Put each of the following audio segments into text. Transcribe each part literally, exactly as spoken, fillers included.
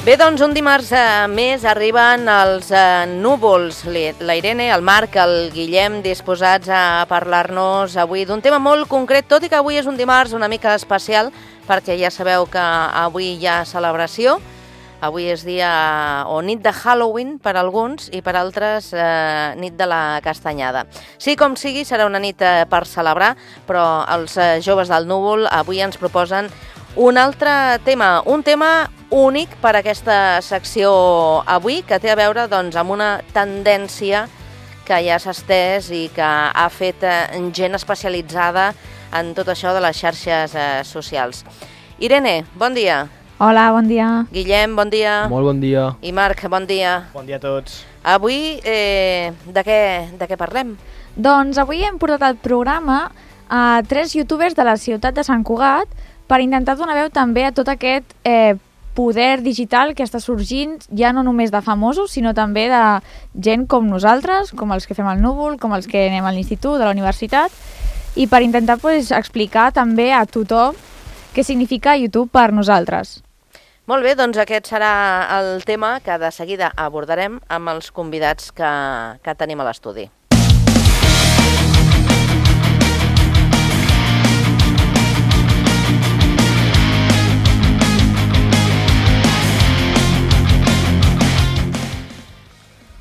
Bé, doncs un dimarts eh, més arriben els eh, núvols. La Irene, el Marc, el Guillem, disposats a parlar-nos avui d'un tema molt concret, tot i que avui és un dimarts una mica especial, perquè ja sabeu que avui hi ha celebració. Avui és dia o nit de Halloween per alguns i per altres eh, nit de la castanyada. Sí, com sigui, serà una nit eh, per celebrar, però els eh, joves del núvol avui ens proposen un altre tema, un tema únic per a aquesta secció avui, que té a veure doncs, amb una tendència que ja s'ha estès i que ha fet eh, gent especialitzada en tot això de les xarxes eh, socials. Irene, bon dia. Hola, bon dia. Guillem, bon dia. Molt bon dia. I Marc, bon dia. Bon dia a tots. Avui, eh, de, què, de què parlem? Doncs avui hem portat al programa a tres youtubers de la ciutat de Sant Cugat per intentar donar veu també a tot aquest eh, poder digital que està sorgint, ja no només de famosos, sinó també de gent com nosaltres, com els que fem al núvol, com els que anem a l'institut, a la universitat, i per intentar pues, explicar també a tothom què significa YouTube per nosaltres. Molt bé, doncs aquest serà el tema que de seguida abordarem amb els convidats que, que tenim a l'estudi.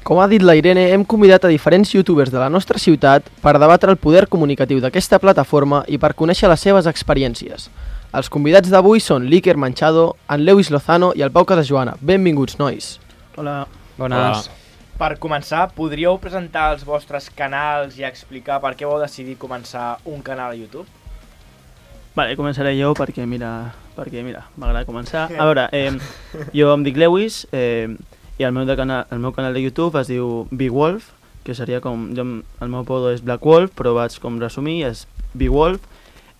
Com ha dit la Irene, hem convidat a diferents youtubers de la nostra ciutat per debatre el poder comunicatiu d'aquesta plataforma i per conèixer les seves experiències. Els convidats d'avui són l'Iker Manchado, en Lewis Lozano i el Pau Casajoana. Benvinguts, nois. Hola. Bones. Hola. Per començar, podríeu presentar els vostres canals i explicar per què vau decidir començar un canal a YouTube? Vale, començaré jo perquè, mira, perquè, mira, m'agrada començar. A veure, eh, jo em dic Lewis, eh, i el meu, de canal, el meu canal de YouTube es diu Big Wolf, que seria com... Jo, el meu apodo és Black Wolf, però vaig com resumir, és Big Wolf.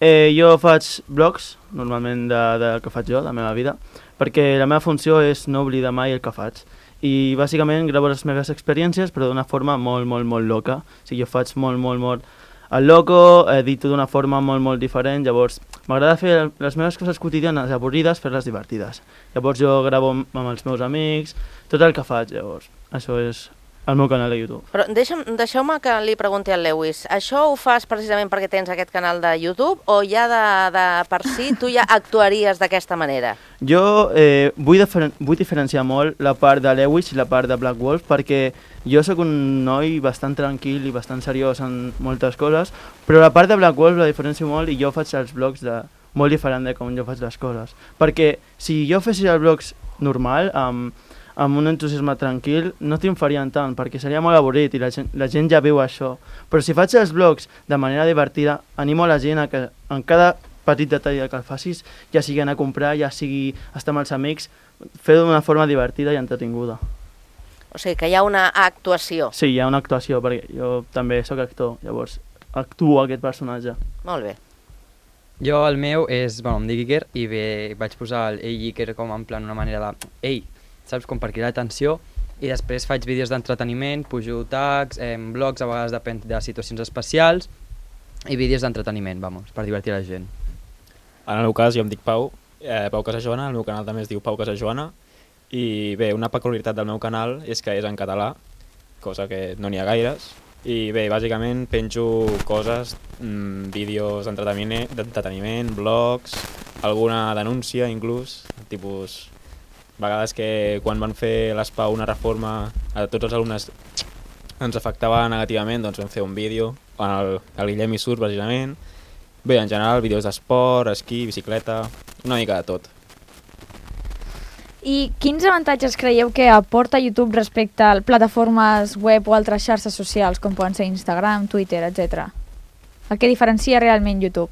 Eh, jo faig blogs, normalment de, de que faig jo, de la meva vida, perquè la meva funció és no oblidar mai el que faig. I bàsicament gravo les meves experiències, però d'una forma molt, molt, molt loca. O sigui, jo faig molt, molt, molt el loco, edito d'una forma molt, molt diferent, llavors m'agrada fer les meves coses quotidianes avorrides, fer-les divertides. Llavors jo gravo amb els meus amics, tot el que faig, llavors. Això és el meu canal de YouTube. Però deixa'm, deixeu-me que li pregunti al Lewis, això ho fas precisament perquè tens aquest canal de YouTube o ja de, de per si tu ja actuaries d'aquesta manera? Jo eh, vull, diferen vull diferenciar molt la part de Lewis i la part de Black Wolf perquè jo sóc un noi bastant tranquil i bastant seriós en moltes coses, però la part de Black Wolf la diferencio molt i jo faig els blogs de molt diferent de com jo faig les coses. Perquè si jo fessis els blogs normal, amb, amb un entusiasme tranquil, no triomfarien tant, perquè seria molt avorrit i la gent, la gent ja viu això. Però si faig els blogs de manera divertida, animo a la gent a que en cada petit detall que el facis, ja sigui anar a comprar, ja sigui estar amb els amics, fer-ho d'una forma divertida i entretinguda. O sigui, que hi ha una actuació. Sí, hi ha una actuació, perquè jo també sóc actor, llavors actuo aquest personatge. Molt bé. Jo, el meu és, bueno, em dic Iker, i bé, vaig posar el Ei Iker com en plan una manera de... Ei, saps, com per cridar l'atenció, i després faig vídeos d'entreteniment, pujo tags, eh, blogs, a vegades depèn de situacions especials, i vídeos d'entreteniment, vamos, per divertir la gent. En el meu cas, jo em dic Pau, eh, Pau Casajoana, el meu canal també es diu Pau Casajoana, i bé, una peculiaritat del meu canal és que és en català, cosa que no n'hi ha gaires, i bé, bàsicament penjo coses, mmm, vídeos d'entreteniment, blogs, alguna denúncia inclús, tipus... vegades que quan van fer l'ESPA una reforma a tots els alumnes ens afectava negativament, doncs vam fer un vídeo on el, el Guillem hi surt precisament. Bé, en general, vídeos d'esport, esquí, bicicleta, una mica de tot. I quins avantatges creieu que aporta YouTube respecte a plataformes web o altres xarxes socials, com poden ser Instagram, Twitter, etcètera? El que diferencia realment YouTube?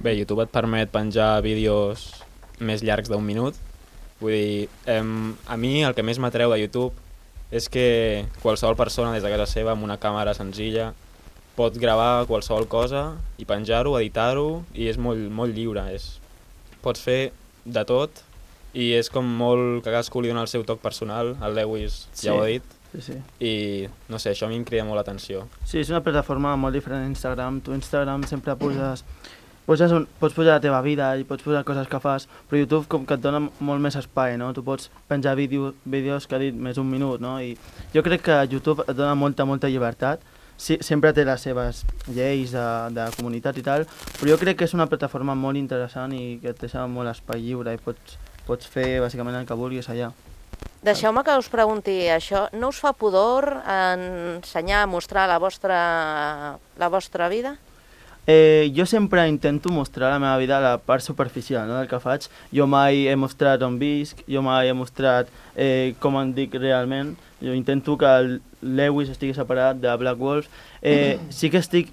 Bé, YouTube et permet penjar vídeos més llargs d'un minut. Vull dir, em, a mi el que més m'atreu de YouTube és que qualsevol persona des de casa seva amb una càmera senzilla pot gravar qualsevol cosa i penjar-ho, editar-ho, i és molt, molt lliure. És, pots fer de tot i és com molt que cadascú li dona el seu toc personal. El Lewis sí, ja ho ha dit. Sí, sí. I no sé, això a mi em crida molt l'atenció. Sí, és una plataforma molt diferent a Instagram. Tu a Instagram sempre poses poses un, pots posar la teva vida i pots posar coses que fas, però YouTube com que et dona molt més espai, no? Tu pots penjar vídeo, vídeos que ha dit més un minut, no? I jo crec que YouTube et dona molta, molta llibertat. Sí, sempre té les seves lleis de, de comunitat i tal, però jo crec que és una plataforma molt interessant i que et deixa molt espai lliure i pots, pots fer bàsicament el que vulguis allà. Deixeu-me que us pregunti això. No us fa pudor ensenyar, mostrar la vostra, la vostra vida? Eh, jo sempre intento mostrar la meva vida a la part superficial, no?, del que faig. Jo mai he mostrat on visc, jo mai he mostrat eh, com em dic realment. Jo intento que el Lewis estigui separat de Black Wolf. Eh, sí que estic,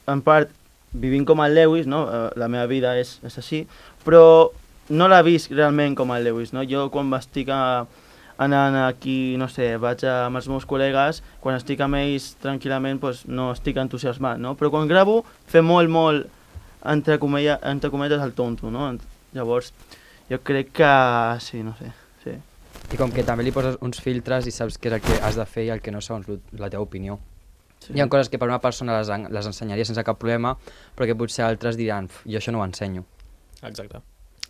en part, vivint com el Lewis, no?, la meva vida és, és així, però no la visc realment com el Lewis, no? Jo quan estic a, anant aquí, no sé, vaig a, amb els meus col·legues, quan estic amb ells tranquil·lament doncs no estic entusiasmat, no? Però quan gravo fer molt, molt, entre, comella, entre cometes, el tonto, no? Llavors, jo crec que sí, no sé, sí. I com que també li poses uns filtres i saps què és el que has de fer i el que no segons la teva opinió. Sí. Hi ha coses que per una persona les, les ensenyaria sense cap problema, però que potser altres diran, jo això no ho ensenyo. Exacte.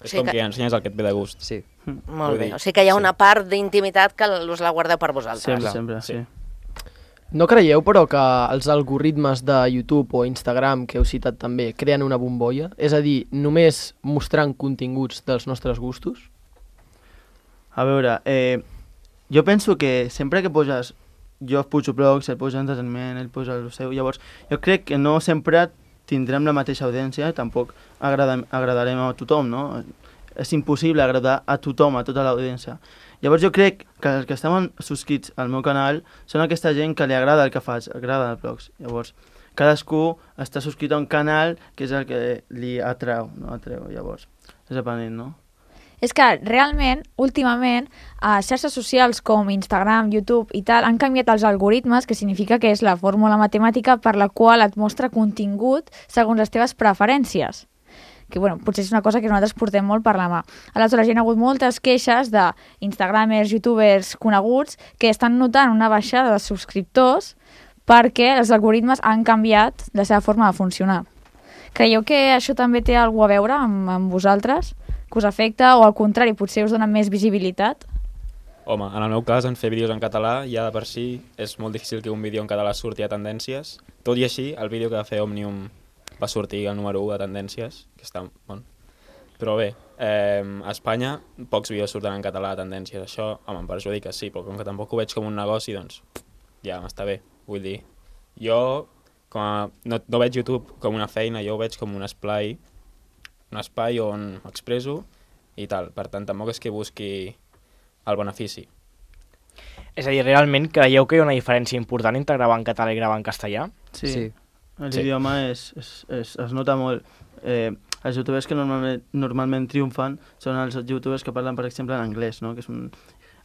És Sí com que- que ensenyes el que et ve de gust. Sí. Molt Vull bé. dir, O sigui que hi ha sí. una part d'intimitat que us la guardeu per vosaltres. Sempre, clar. sempre, sí. No creieu, però, que els algoritmes de YouTube o Instagram, que heu citat també, creen una bombolla? És a dir, només mostrant continguts dels nostres gustos? A veure, eh, jo penso que sempre que poses, jo pujo blogs, ell posa entreteniment, ell posa el seu, llavors jo crec que no sempre tindrem la mateixa audiència, tampoc agrada, agradarem a tothom, no? És impossible agradar a tothom, a tota l'audiència. Llavors jo crec que els que estan subscrits al meu canal són aquesta gent que li agrada el que faig, agrada els blogs. Llavors, cadascú està subscrit a un canal que és el que li atreu, no? Atreu, llavors, és depenent, no? És que realment, últimament, a xarxes socials com Instagram, YouTube i tal, han canviat els algoritmes, que significa que és la fórmula matemàtica per la qual et mostra contingut segons les teves preferències. Que, bueno, potser és una cosa que nosaltres portem molt per la mà. Aleshores, hi ha hagut moltes queixes d'instagramers, youtubers coneguts que estan notant una baixada de subscriptors perquè els algoritmes han canviat la seva forma de funcionar. Creieu que això també té alguna a veure amb, amb vosaltres? Que us afecta o al contrari, potser us dona més visibilitat? Home, en el meu cas, en fer vídeos en català, ja de per si és molt difícil que un vídeo en català surti a tendències. Tot i així, el vídeo que va fer Òmnium va sortir al número u de tendències, que està bon. Però bé, eh, a Espanya pocs vídeos surten en català a tendències. Això, home, em perjudica, sí, però com que tampoc ho veig com un negoci, doncs ja m'està bé. Vull dir, jo com a, no, no veig YouTube com una feina, jo ho veig com un espai, un espai on m'expreso i tal. Per tant, tampoc és que busqui el benefici. És a dir, realment creieu que hi ha una diferència important entre gravar en català i gravar en castellà? Sí, Sí. l'idioma és, és, és, es nota molt. Eh, els youtubers que normalment, normalment triomfen són els youtubers que parlen, per exemple, en anglès, no? Que és un,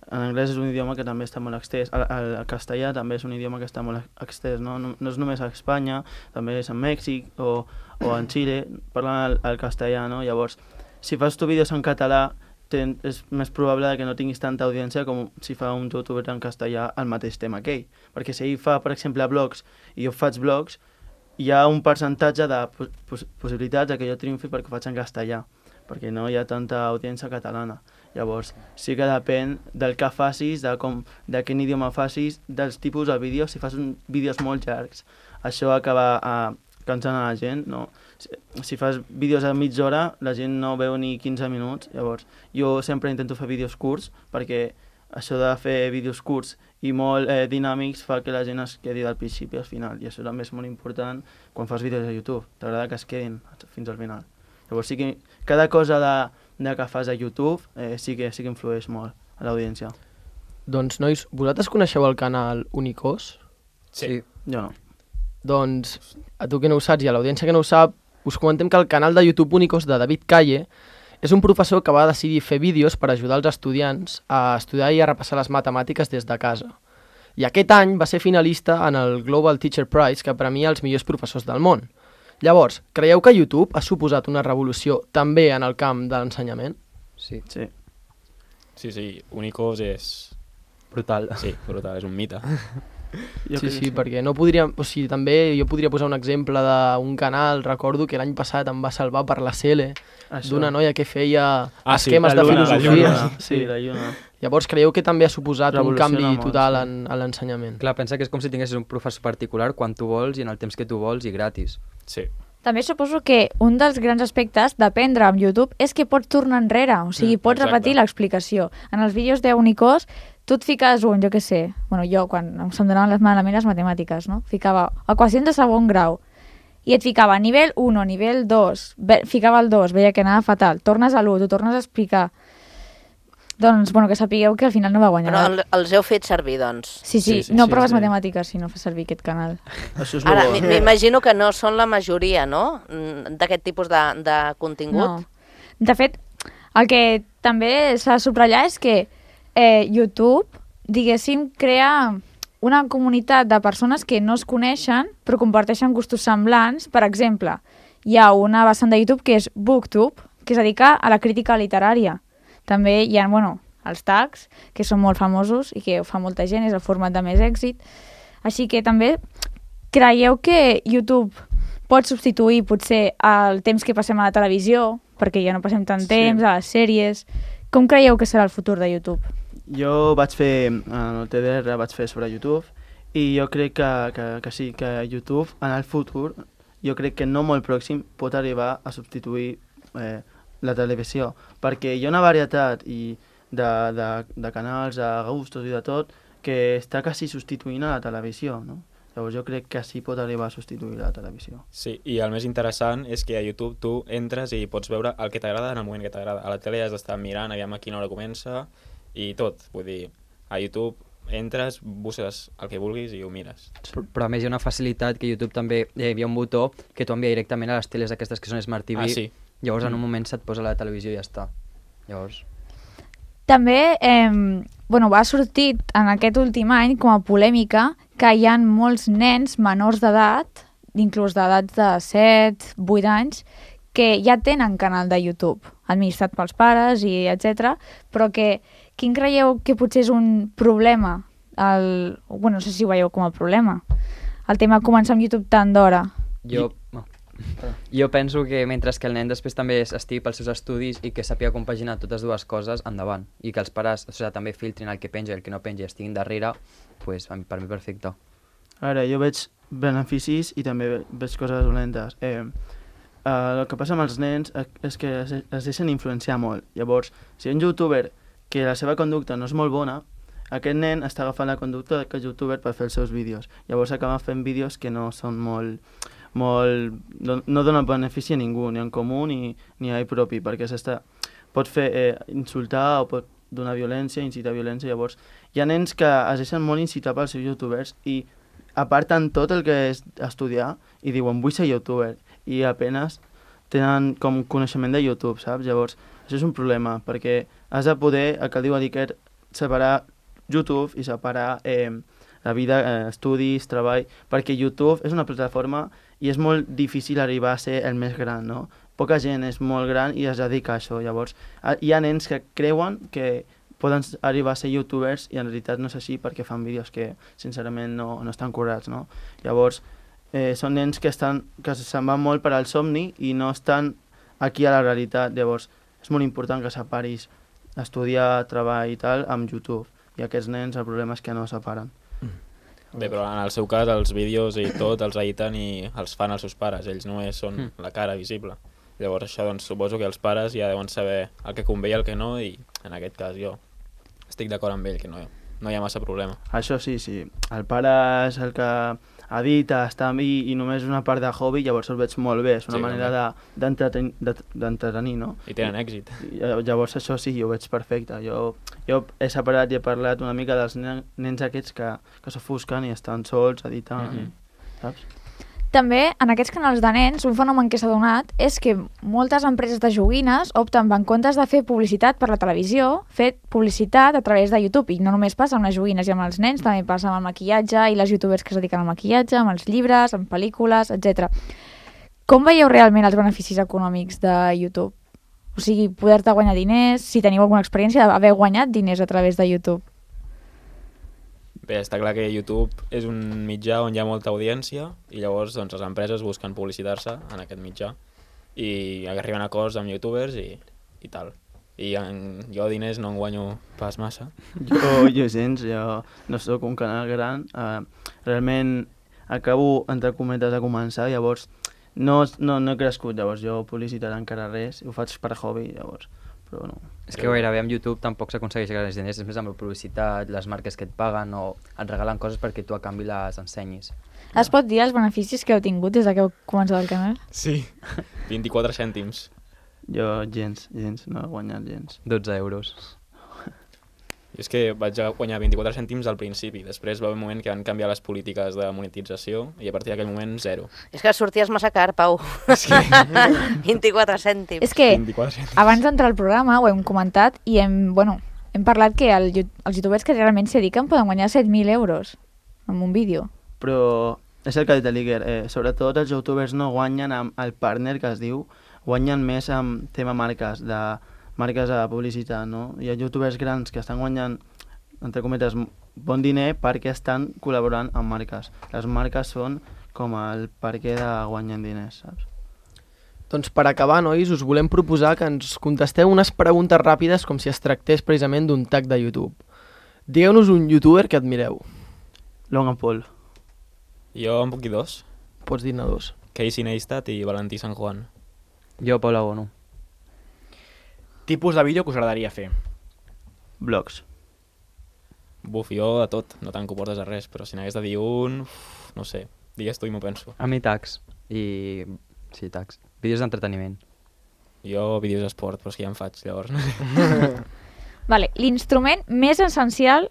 en anglès és un idioma que també està molt extès. El, el, el castellà també és un idioma que està molt extès, no? No, no és només a Espanya, també és a Mèxic o, o en Xile, parlen el, el castellà, no? Llavors, si fas tu vídeos en català, ten, és més probable que no tinguis tanta audiència com si fa un youtuber en castellà el mateix tema que ell. Perquè si ell fa, per exemple, blogs i jo faig blogs, hi ha un percentatge de pos possibilitats que jo triomfi perquè ho faig en castellà, perquè no hi ha tanta audiència catalana. Llavors, sí que depèn del que facis, de, com, de quin idioma facis, dels tipus de vídeos. Si fas un, vídeos molt llargs, això acaba a, cansant a la gent, no? Si, si fas vídeos a mitja hora, la gent no veu ni quinze minuts. Llavors, jo sempre intento fer vídeos curts, perquè això de fer vídeos curts i molt eh, dinàmics fa que la gent es quedi del principi al final, i això també és molt important quan fas vídeos a YouTube. T'agrada que es quedin fins al final. Llavors, sí que cada cosa de, de que fas a YouTube eh, sí, que, sí que influeix molt a l'audiència. Doncs, nois, vosaltres coneixeu el canal Unicós? Sí. Jo no. Doncs, a tu que no ho saps i a l'audiència que no ho sap, us comentem que el canal de YouTube Unicós de David Calle és un professor que va decidir fer vídeos per ajudar els estudiants a estudiar i a repassar les matemàtiques des de casa. I aquest any va ser finalista en el Global Teacher Prize, que premia els millors professors del món. Llavors, creieu que YouTube ha suposat una revolució també en el camp de l'ensenyament? Sí. Sí. Sí, sí, Unicós és... Brutal. Sí, brutal, és un mite. Jo sí, sí, perquè no podríem... O sigui, també jo podria posar un exemple d'un canal, recordo que l'any passat em va salvar per la Cele, d'una noia que feia ah, sí, esquemes de filosofia. Sí, la lluna. Llavors creieu que també ha suposat un canvi molt, total sí. en, en l'ensenyament? Clar, pensa que és com si tinguessis un professor particular quan tu vols i en el temps que tu vols i gratis. Sí. També suposo que un dels grans aspectes d'aprendre amb YouTube és que pots tornar enrere, o sigui, Mm, pots exacte. repetir l'explicació. En els vídeos d'Unicos, tu et fiques un, jo què sé, bueno, jo quan se'm donaven les malament les matemàtiques, no? Ficava equacions de segon grau, i et ficava nivell u, nivell dos, ve, ficava el dos, veia que anava fatal, tornes a l'u, t'ho tornes a explicar. Doncs, bueno, que sapigueu que al final no va guanyar. Però el, els heu fet servir, doncs. Sí, sí, Sí, sí, no sí, proves sí. matemàtiques si no fas servir aquest canal. Això és Ara, bo. m- m'imagino que no són la majoria, no?, Mm, d'aquest tipus de, de contingut. No. De fet, el que també s'ha de subratllar és que eh, YouTube, diguéssim, crea una comunitat de persones que no es coneixen però comparteixen gustos semblants. Per exemple, hi ha una vessant de YouTube que és BookTube, que es dedica a la crítica literària. També hi ha, bueno, els tags, que són molt famosos i que ho fa molta gent, és el format de més èxit. Així que també creieu que YouTube pot substituir potser el temps que passem a la televisió, perquè ja no passem tant Sí. temps, a les sèries. Com creieu que serà el futur de YouTube? Jo vaig fer, en el T D R vaig fer sobre YouTube i jo crec que, que, que sí, que YouTube en el futur, jo crec que no molt pròxim, pot arribar a substituir eh, la televisió, perquè hi ha una varietat i de, de, de canals, de gustos i de tot, que està quasi substituint a la televisió, no? Llavors jo crec que sí pot arribar a substituir la televisió. Sí, i el més interessant és que a YouTube tu entres i pots veure el que t'agrada en el moment que t'agrada. A la tele has d'estar mirant, aviam a quina hora comença i tot. Vull dir, a YouTube entres, busques el que vulguis i ho mires. Però, però a més hi ha una facilitat que YouTube també eh, hi havia un botó que t'ho envia directament a les teles aquestes que són Smart T V. Ah, sí. Llavors en Mm. un moment se't posa a la televisió i ja està. Llavors... També eh, bueno, va sortir en aquest últim any com a polèmica que hi ha molts nens menors d'edat, inclús d'edats de set, vuit anys, que ja tenen canal de YouTube, administrat pels pares i etcètera, però que quin creieu que potser és un problema? El, bueno, no sé si ho veieu com a problema. El tema de començar amb YouTube tan d'hora. Jo... No. Jo penso que mentre que el nen després també estigui pels seus estudis i que sàpiga compaginar totes dues coses, endavant. I que els pares o sigui, també filtrin el que penja i el que no penja i estiguin darrere, pues, per mi perfecte. Ara, jo veig beneficis i també veig coses dolentes. Eh, eh, el que passa amb els nens és que es, es deixen influenciar molt. Llavors, si hi ha un youtuber que la seva conducta no és molt bona, aquest nen està agafant la conducta d'aquest youtuber per fer els seus vídeos. Llavors acaba fent vídeos que no són molt... molt no, no donen benefici a ningú, ni en comú ni, ni a ell propi, perquè s'està pot fer eh, insultar o pot donar violència, incitar violència. Llavors hi ha nens que es deixen molt incitar pels seus youtubers i aparten tot el que és estudiar i diuen vull ser youtuber i apenas tenen com coneixement de YouTube, saps? Llavors això és un problema perquè has de poder, el que diu Iker, separar YouTube i separar eh, la vida, eh, estudis, treball, perquè YouTube és una plataforma i és molt difícil arribar a ser el més gran, no? Poca gent és molt gran i es dedica a això, llavors hi ha nens que creuen que poden arribar a ser youtubers i en realitat no és així perquè fan vídeos que sincerament no, no estan curats, no? Llavors eh, són nens que, estan, que se'n van molt per al somni i no estan aquí a la realitat, llavors és molt important que separis estudiar, treball i tal amb YouTube i aquests nens el problema és que no separen. Bé, però en el seu cas els vídeos i tot els editen i els fan els seus pares, ells només són Mm. la cara visible. Llavors això doncs suposo que els pares ja deuen saber el que convé i el que no i en aquest cas jo estic d'acord amb ell que no, no hi ha massa problema. Això sí, sí. El pare és el que edita, està amb mi i només és una part de hobby, llavors el veig molt bé, és una Sí, manera de- d'entreten- de- d'entretenir, no? I tenen èxit. I, llavors això sí, ho veig perfecte. Jo, jo he separat i he parlat una mica dels nen, nens aquests que, que s'ofusquen i estan sols editant, Mhm. saps? També, en aquests canals de nens, un fenomen que s'ha donat és que moltes empreses de joguines opten, en comptes de fer publicitat per la televisió, fer publicitat a través de YouTube. I no només passa amb les joguines i amb els nens, també passa amb el maquillatge i les youtubers que es dediquen al maquillatge, amb els llibres, amb pel·lícules, etcètera. Com veieu realment els beneficis econòmics de YouTube? O sigui, poder-te guanyar diners, si teniu alguna experiència d'haver guanyat diners a través de YouTube. Bé, està clar que YouTube és un mitjà on hi ha molta audiència i llavors doncs, les empreses busquen publicitar-se en aquest mitjà i arriben a acords amb youtubers i, i tal. I en, jo diners no en guanyo pas massa. Jo, jo gens, jo no sóc un canal gran. Uh, realment acabo, entre cometes, de començar, llavors no, no, no he crescut, llavors jo publicitat encara res, ho faig per hobby, llavors, però no. És que gairebé amb YouTube tampoc s'aconsegueix grans diners, és més amb la publicitat, les marques que et paguen o et regalen coses perquè tu a canvi les ensenyis. Es pot dir els beneficis que heu tingut des que heu començat el canal? Sí, vint-i-quatre cèntims. Jo gens, gens, no he guanyat gens. dotze euros. I és que vaig guanyar vint-i-quatre cèntims al principi, després va haver un moment que van canviar les polítiques de monetització i a partir d'aquell moment zero. És que sorties massa car, Pau. És que... vint-i-quatre cèntims. És que vint-i-quatre cèntims. abans d'entrar al programa ho hem comentat i hem, bueno, hem parlat que el, els youtubers que realment s'hi dediquen poden guanyar set mil euros amb un vídeo. Però és el que ha dit l'Iker, eh, sobretot els youtubers no guanyen amb el partner que es diu, guanyen més amb tema marques, de marques de publicitat, no? Hi ha youtubers grans que estan guanyant, entre cometes, bon diner perquè estan col·laborant amb marques. Les marques són com el perquè de guanyar diners, saps? Doncs per acabar, nois, us volem proposar que ens contesteu unes preguntes ràpides com si es tractés precisament d'un tag de YouTube. Digueu-nos un youtuber que admireu. Logan Paul. Jo en puc dir dos. Pots dir-ne dos. Casey Neistat i Valentí San Juan. Jo, Paula Bono. Tipus de vídeo que us agradaria fer? Blogs. Buf, jo a tot, no tant que ho portes a res, però si n'hagués de dir un... Uf, no sé, digues tu i m'ho penso. A mi tags. I... sí, tags. Vídeos d'entreteniment. Jo vídeos d'esport, però és que ja en faig, llavors no sé. Vale, l'instrument més essencial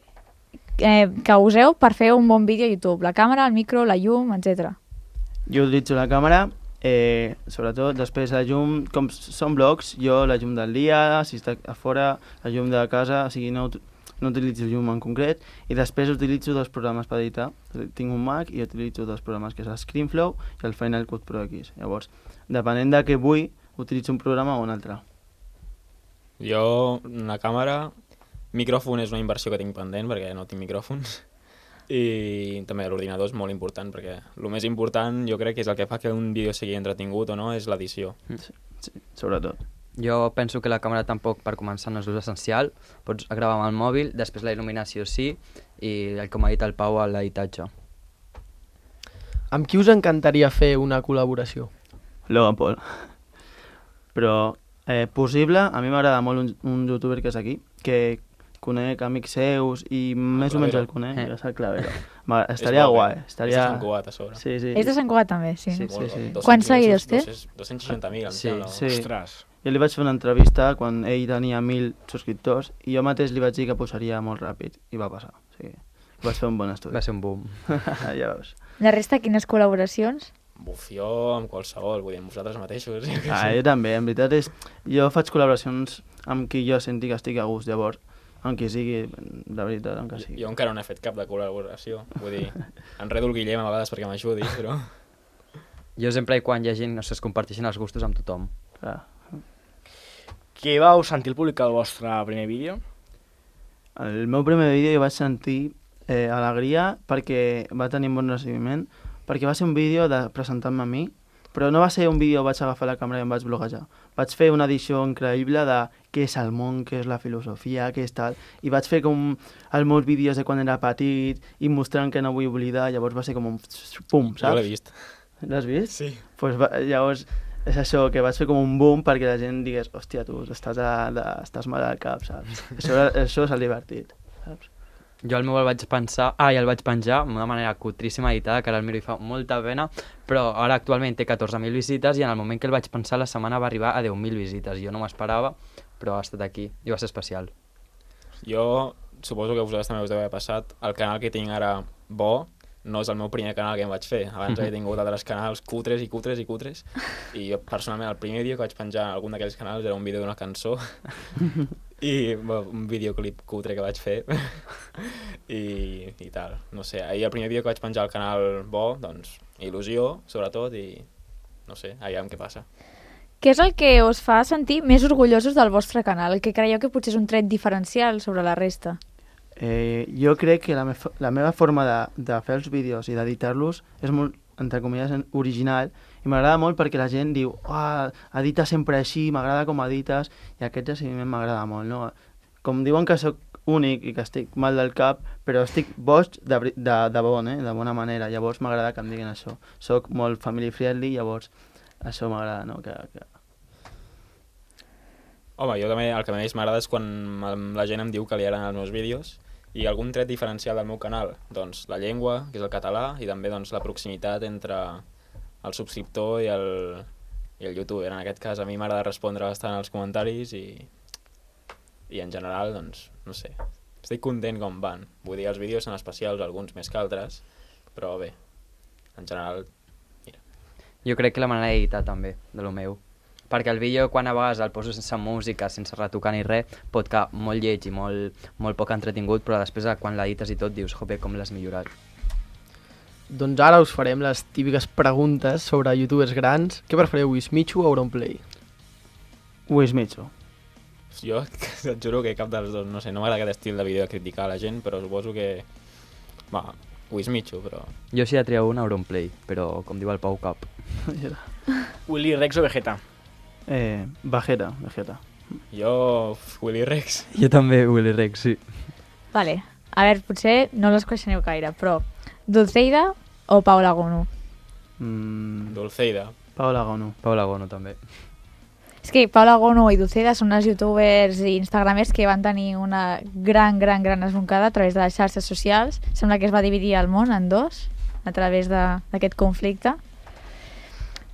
eh, que useu per fer un bon vídeo a YouTube. La càmera, el micro, la llum, etcètera. Jo utilitzo la càmera, eh, sobretot després la llum, com són blogs, jo la llum del dia, si està a fora, la llum de casa, o sigui, no, no utilitzo llum en concret, i després utilitzo dos programes per editar. Tinc un Mac i utilitzo dos programes, que és el ScreenFlow i el Final Cut Pro X. Llavors, depenent de què vull, utilitzo un programa o un altre. Jo, una càmera, micròfon és una inversió que tinc pendent perquè no tinc micròfons, i també l'ordinador és molt important perquè el més important jo crec que és el que fa que un vídeo sigui entretingut o no, és l'edició. Sí, sí, sobretot. Jo penso que la càmera tampoc, per començar, no és l'ús essencial. Pots gravar amb el mòbil, després la il·luminació sí, i el com ha dit el Pau, a l'editatge. Amb qui us encantaria fer una col·laboració? Logan Paul. Però eh, possible, a mi m'agrada molt un, un youtuber que és aquí, que conec amics seus i més o menys el conec, Eh. és el Clavero. Va, estaria És bo, guai. eh? Estaria... És de Sant Cugat, a sobre. Sí, sí. És de Sant Cugat també, sí. Sí, no? sí, sí. dos-cents Quants seguidors té? dos-cents seixanta mil, em Sí, sembla. sí. Ostres. Jo li vaig fer una entrevista quan ell tenia mil subscriptors i jo mateix li vaig dir que posaria molt ràpid i va passar. O sigui, vaig fer un bon estudi. Va ser un boom. Ja veus. La resta, quines col·laboracions? Buf, jo amb qualsevol, vull dir, amb vosaltres mateixos. Jo què Ah, sé. jo també, en veritat és... Jo faig col·laboracions amb qui jo senti que estic a gust, llavors, amb qui sigui, de veritat, amb qui sigui. Jo encara no he fet cap de col·laboració, vull dir, enredo el Guillem a vegades perquè m'ajudi, però... Jo sempre i quan hi ha gent, no sé, es comparteixen els gustos amb tothom. Clar. Què vau sentir el publicar el vostre primer vídeo? El meu primer vídeo jo vaig sentir eh, alegria perquè va tenir un bon recibiment, perquè va ser un vídeo de presentar-me a mi, però no va ser un vídeo, vaig agafar la càmera i em vaig bloguejar. Vaig fer una edició increïble de què és el món, què és la filosofia, què és tal, i vaig fer com els meus vídeos de quan era petit i mostrant que no vull oblidar, llavors va ser com un pum, saps? Jo l'he vist. L'has vist? Sí. Pues va, llavors és això, que vaig fer com un boom perquè la gent digués, hòstia, tu estàs, a, de, estàs mal al cap, saps? Això, això és el divertit, saps? Jo el meu el vaig pensar, ah, i el vaig penjar d'una manera cutríssima editada, que ara el miro i fa molta pena, però ara actualment té catorze mil visites i en el moment que el vaig pensar la setmana va arribar a deu mil visites. Jo no m'esperava, però ha estat aquí i va ser especial. Jo suposo que a vosaltres també us deu haver passat. El canal que tinc ara bo no és el meu primer canal que em vaig fer. Abans he tingut altres canals cutres i cutres i cutres. I jo, personalment, el primer vídeo que vaig penjar en algun d'aquells canals era un vídeo d'una cançó i bueno, un videoclip cutre que vaig fer I, i tal. No sé, ahir el primer vídeo que vaig penjar al canal bo, doncs, il·lusió, sobretot, i no sé, aviam què passa. Què és el que us fa sentir més orgullosos del vostre canal? El que creieu que potser és un tret diferencial sobre la resta? Eh, jo crec que la, me la meva forma de, de fer els vídeos i d'editar-los és molt, entre cometes, original, i m'agrada molt perquè la gent diu oh, edita sempre així, m'agrada com edites, i aquest recibiment m'agrada molt, no? Com diuen que sóc únic i que estic mal del cap, però estic boig de, de, de bon, eh? De bona manera, llavors m'agrada que em diguin això. Soc molt family friendly, llavors això m'agrada, no? Que, que... Home, jo també el que més m'agrada és quan la gent em diu que li agraden els meus vídeos, i algun tret diferencial del meu canal, doncs la llengua, que és el català, i també doncs, la proximitat entre el subscriptor i el, i el youtuber. En aquest cas a mi m'agrada respondre bastant als comentaris i, i en general, doncs, no sé, estic content com van. Vull dir, els vídeos són especials, alguns més que altres, però bé, en general, mira. Jo crec que la manera d'editar també, de lo meu. Perquè el vídeo, quan a vegades el poso sense música, sense retocar ni res, pot quedar molt lleig i molt, molt poc entretingut, però després quan l'edites i tot dius, jope, com l'has millorat. Doncs ara us farem les típiques preguntes sobre youtubers grans. Què preferiu, Wismichu o Auronplay? Wismichu. Jo et juro que cap dels dos, no sé, no m'agrada aquest estil de vídeo de criticar a la gent, però suposo que... Va, Wismichu, però... Jo sí he triat un Auronplay, però com diu el Pau, cap. Willy Rex o Vegeta? Eh, Vegeta, Vegeta. Jo, Willy Rex. Jo també, Willy Rex, sí. Vale, a veure, potser no les coneixeu gaire, però Dulceida o Paula Gono? Mm, Dulceida. Paula Gono. Paula Gono també. És que Paula Gono i Dulceida són unes youtubers i instagramers que van tenir una gran, gran, gran esboncada a través de les xarxes socials. Sembla que es va dividir el món en dos a través d'aquest conflicte.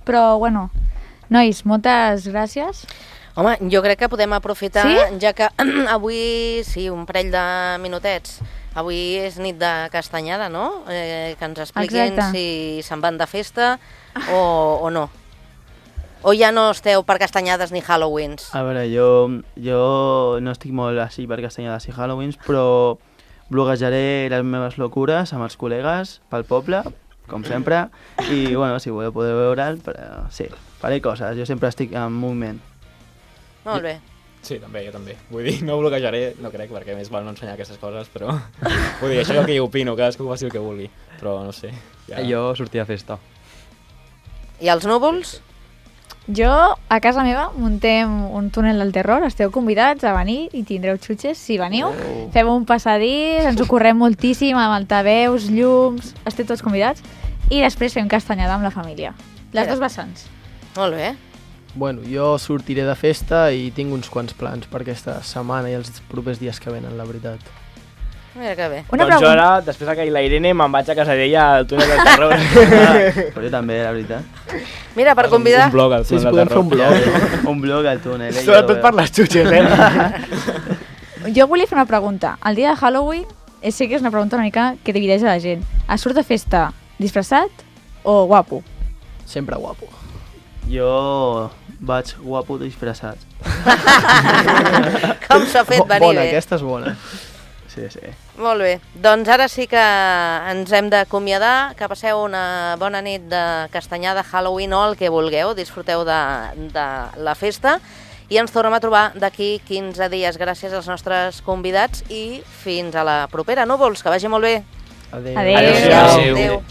Però, bueno... Nois, moltes gràcies. Home, jo crec que podem aprofitar, sí? Ja que avui, sí, un parell de minutets, avui és nit de castanyada, no? Eh, que ens expliquin Exacte. Si se'n van de festa o, o no. O ja no esteu per castanyades ni Halloweens? A veure, jo, jo no estic molt així per castanyades i Halloweens, però bloguejaré les meves locures amb els col·legues pel poble, com sempre, i bueno, si voleu podeu veure'l, però sí, faré coses, jo sempre estic en moviment. Molt bé. Sí, també, jo també. Vull dir, no bloquejaré, no crec, perquè més val no ensenyar aquestes coses, però... Vull dir, això és el que jo opino, cadascú faci el que vulgui, però no sé. Ja... Jo sortia a festa. I els núvols? Jo, a casa meva, muntem un túnel del terror, esteu convidats a venir i tindreu xutxes si veniu. Oh. Fem un passadís, ens ho correm moltíssim amb altaveus, llums, esteu tots convidats. I després fem castanyada amb la família. Les dos vessants. Molt bé. Bueno, jo sortiré de festa i tinc uns quants plans per aquesta setmana i els propers dies que venen, la veritat. Mira que bé. Una doncs jo ara, després que la Irene, me'n vaig a casa d'ella al túnel del terror. Però jo també, la veritat. Mira, per convidar... Un, un blog al túnel sí, del terror. Fer un blog. Un blog al túnel. Eh? Sobretot per les xutxes, eh? Jo volia fer una pregunta. El dia de Halloween, sé que és una pregunta una mica que divideix a la gent. Es surt de festa disfressat o guapo? Sempre guapo. Jo vaig guapo disfressat. Com s'ha fet venir bona, bé. aquesta és bona. Sí, sí. Molt bé. Doncs ara sí que ens hem d'acomiadar. Que passeu una bona nit de castanyada, Halloween o el que vulgueu. Disfruteu de, de la festa. I ens tornem a trobar d'aquí quinze dies. Gràcies als nostres convidats i fins a la propera. Núvols, que vagi molt bé. Adéu. Adéu. Adéu. Adéu.